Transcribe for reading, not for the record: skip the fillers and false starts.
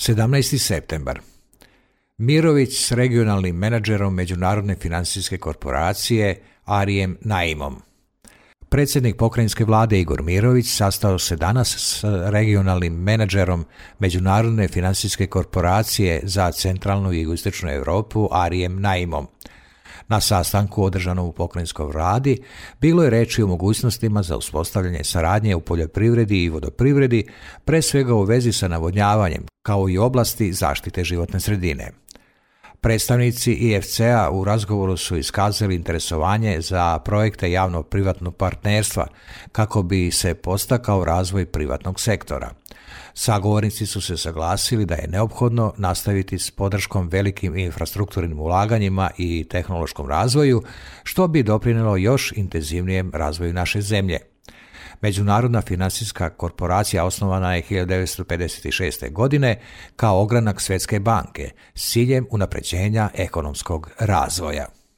17. septembar. Mirović s regionalnim menadžerom Međunarodne financijske korporacije Arijem Naimom. Predsjednik pokrajinske vlade Igor Mirović sastao se danas s regionalnim menadžerom Međunarodne financijske korporacije za centralnu i jugoistočnu Europu Arijem Naimom. Na sastanku održanom u pokrajinskoj vladi bilo je reči o mogućnostima za uspostavljanje saradnje u poljoprivredi i vodoprivredi, pre svega u vezi sa navodnjavanjem, kao i oblasti zaštite životne sredine. Predstavnici IFC-a u razgovoru su iskazali interesovanje za projekte javno-privatnog partnerstva kako bi se podstakao razvoj privatnog sektora. Sagovornici su se saglasili da je neophodno nastaviti s podrškom velikim infrastrukturnim ulaganjima i tehnološkom razvoju, što bi doprinijelo još intenzivnijem razvoju naše zemlje. Međunarodna financijska korporacija osnovana je 1956. godine kao ogranak Svjetske banke s ciljem unapređenja ekonomskog razvoja.